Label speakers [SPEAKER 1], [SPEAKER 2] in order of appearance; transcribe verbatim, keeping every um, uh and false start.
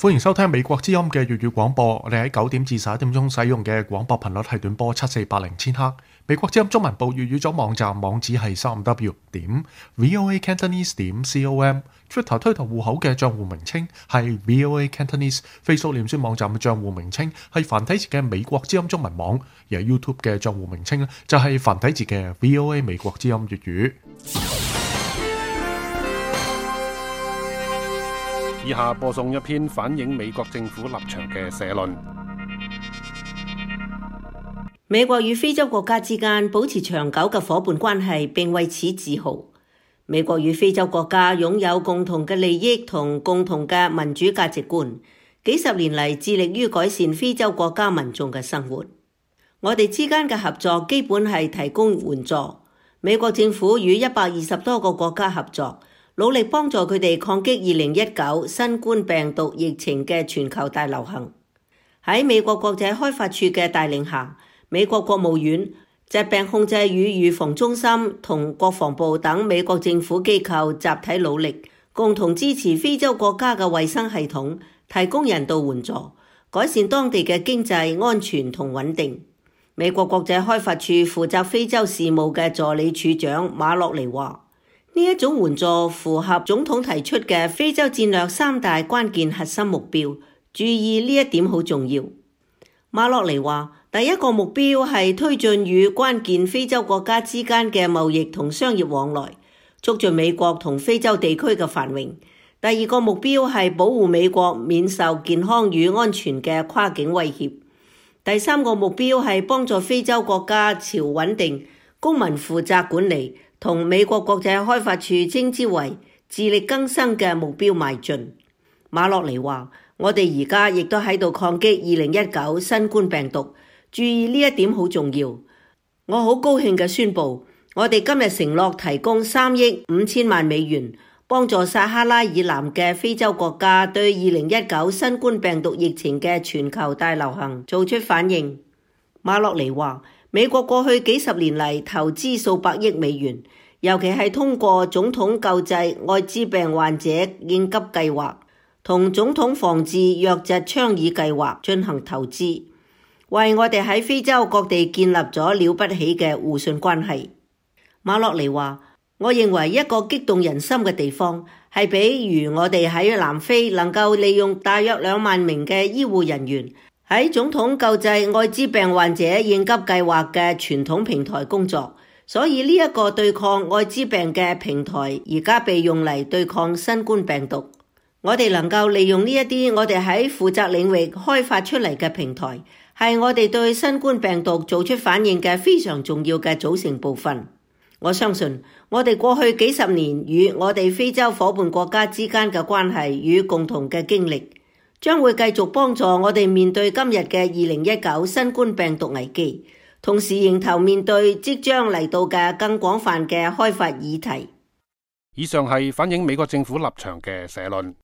[SPEAKER 1] 歡迎收聽美國之音嘅粵語廣播。我哋喺九點至十一點鐘使用嘅廣播頻率係短波七四八零千赫。美國之音中文部粵語組網站網址係三 w 點 voa cantonese 點 com。Twitter 推特戶口嘅賬戶名稱係 voa cantonese。Facebook 臉書網站嘅賬戶名稱係繁體字嘅美國之音中文網，而 YouTube 嘅賬戶名稱咧就係繁體字嘅 voa 美國之音粵語。
[SPEAKER 2] 以下播送一篇反映美國政府立場嘅社論。
[SPEAKER 3] 美國與非洲國家之間保持長久嘅夥伴關係，並為此自豪。美國與非洲國家擁有共同嘅利益同共同嘅民主價值觀，幾十年嚟致力於改善非洲國家民眾嘅生活。我哋之間嘅合作基本係提供援助。美國政府與一百二十多個國家合作，努力幫助佢哋抗擊二零一九新冠病毒疫情嘅全球大流行。喺美國國際開發處嘅帶領下，美國國務院、疾病控制與預防中心同國防部等美國政府機構集體努力，共同支持非洲國家嘅衛生系統，提供人道援助，改善當地嘅經濟安全同穩定。美國國際開發處負責非洲事務嘅助理處長馬洛尼話：呢一種援助符合總統提出嘅非洲戰略三大關鍵核心目標，注意呢一點好重要。馬洛尼話，第一個目標係推進與關鍵非洲國家之間嘅貿易同商業往來，促進美國同非洲地區嘅繁榮。第二個目標係保護美國免受健康與安全嘅跨境威脅。第三個目標係幫助非洲國家朝穩定、公民負責管理同美國國際開發處稱之為自力更生嘅目標邁進。馬洛尼話：我哋而家亦都喺度抗擊二零一九新冠病毒，注意呢一點好重要。我好高興嘅宣布，我哋今日承諾提供三億五千萬美元，幫助撒哈拉以南嘅非洲國家對二零一九新冠病毒疫情嘅全球大流行做出反應。馬洛尼話：美國過去幾十年嚟投資數百億美元，尤其係通過總統救濟愛滋病患者應急計劃同總統防治瘧疾倡議計劃進行投資，為我哋喺非洲各地建立咗了不起嘅互信關係。馬洛尼話：我認為一個激動人心嘅地方係，比如我哋喺南非能夠利用大約兩萬名嘅醫護人員喺總統救濟愛滋病患者應急計劃嘅傳統平台工作，所以呢一個對抗愛滋病嘅平台而家被用嚟對抗新冠病毒。我哋能夠利用呢一啲我哋喺負責領域開發出嚟嘅平台，係我哋對新冠病毒做出反應嘅非常重要嘅組成部分。我相信我哋過去幾十年與我哋非洲夥伴國家之間嘅關係與共同嘅經歷，將會繼續幫助我哋面對今日嘅二零一九新冠病毒危機，同時迎頭面對即將嚟到嘅更廣泛嘅開發議題。
[SPEAKER 2] 以上係反映美國政府立場嘅社論。